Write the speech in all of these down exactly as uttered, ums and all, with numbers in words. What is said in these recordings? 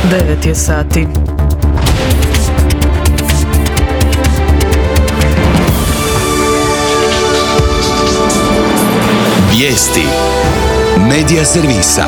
devet je sati. Vijesti Medija servisa.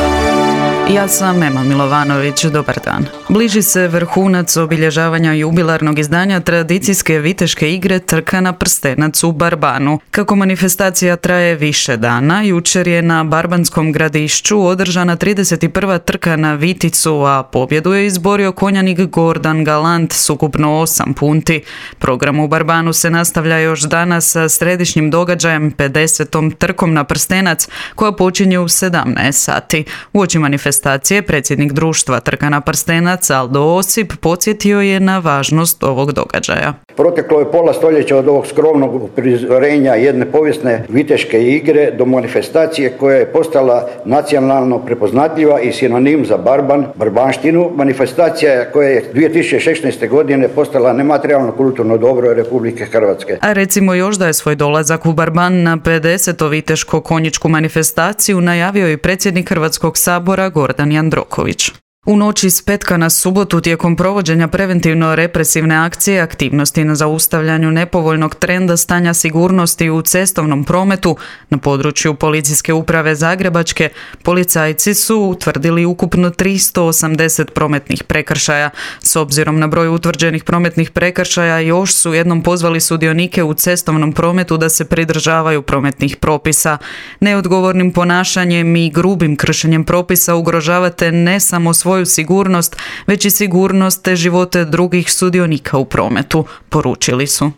Ja sam Ema Milovanović, dobar dan. Bliži se vrhunac obilježavanja jubilarnog izdanja tradicijske viteške igre Trka na prstenac u Barbanu. Kako manifestacija traje više dana, jučer je na Barbanskom gradišću održana trideset prva trka na viticu, a pobjedu je izborio konjanik Gordan Galant s ukupno osam punti. Program u Barbanu se nastavlja još danas sa središnjim događajem pedesetom trkom na prstenac, koja počinje u sedamnaest sati. Uoči manifestacije predsjednik društva Trka na prstenac Aldo Osip podsjetio je na važnost ovog događaja. Proteklo je pola stoljeća od ovog skromnog prizorenja jedne povijesne viteške igre do manifestacije koja je postala nacionalno prepoznatljiva i sinonim za Barban, barbanštinu. Manifestacija koja je dvije tisuće šesnaeste. godine postala nematerijalno kulturno dobro Republike Hrvatske. A recimo još da je svoj dolazak u Barban na pedesetu viteško-konjičku manifestaciju najavio i predsjednik Hrvatskog sabora Gordan Jandroković. U noći s petka na subotu tijekom provođenja preventivno-represivne akcije aktivnosti na zaustavljanju nepovoljnog trenda stanja sigurnosti u cestovnom prometu na području Policijske uprave Zagrebačke, policajci su utvrdili ukupno tristo osamdeset prometnih prekršaja. S obzirom na broj utvrđenih prometnih prekršaja još su jednom pozvali sudionike u cestovnom prometu da se pridržavaju prometnih propisa. Neodgovornim ponašanjem i grubim kršenjem propisa ugrožavate ne samo svoju sigurnost, već i sigurnost te živote drugih sudionika u prometu, poručili su.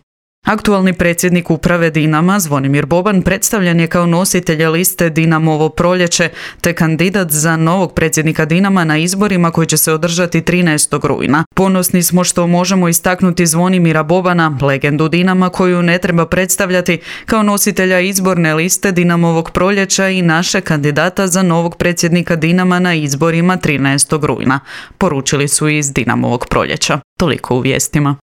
Aktualni predsjednik uprave Dinama, Zvonimir Boban, predstavljen je kao nositelj liste Dinamovo proljeće, te kandidat za novog predsjednika Dinama na izborima koji će se održati trinaestog rujna. Ponosni smo što možemo istaknuti Zvonimira Bobana, legendu Dinama koju ne treba predstavljati, kao nositelja izborne liste Dinamovog proljeća i naše kandidata za novog predsjednika Dinama na izborima trinaestog rujna, poručili su iz Dinamovog proljeća. Toliko u vijestima.